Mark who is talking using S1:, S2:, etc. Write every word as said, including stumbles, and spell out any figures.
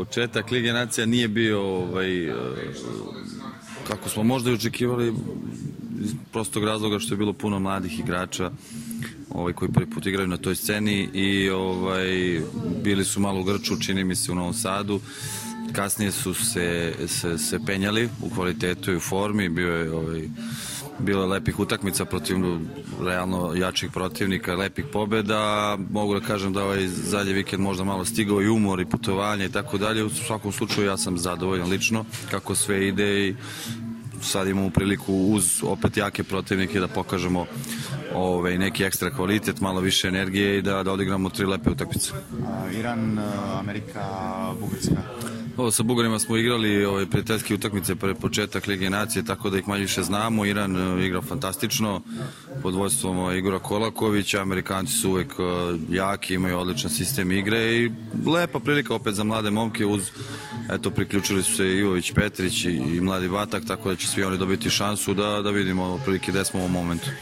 S1: Početak Lige nacija nije bio ovaj, kako smo možda i očekivali, iz prostog razloga što je bilo puno mladih igrača ovaj, koji prvi put igraju na toj sceni i ovaj, bili su malo u grču, čini mi se, u Novom Sadu. Kasnije su se, se, se penjali u kvalitetu i u formi, bio je ovaj, bilo je lepih utakmica protiv realno jačih protivnika, lepih pobjeda. Mogu da kažem da ovaj zadnji vikend možda malo stigao i umor i putovanje i tako dalje. U svakom slučaju ja sam zadovoljan lično kako sve ide i sad imamo priliku uz opet jake protivnike da pokažemo ovaj, neki ekstra kvalitet, malo više energije i da, da odigramo tri lepe utakmice.
S2: Iran, Amerika, Bugarska.
S1: Ovo, sa Bugarima smo igrali ovaj, prijateljske utakmice pre početak Lige nacije, tako da ih manje više znamo. Iran uh, igra fantastično pod vodstvom uh, Igora Kolakovića. Amerikanci su uvek uh, jaki, imaju odličan sistem igre i lepa prilika opet za mlade momke. Uz, eto, priključili su se Ivović, Petrić i, i mladi Batak, tako da će svi oni dobiti šansu da, da vidimo prilike gde smo u ovom momentu.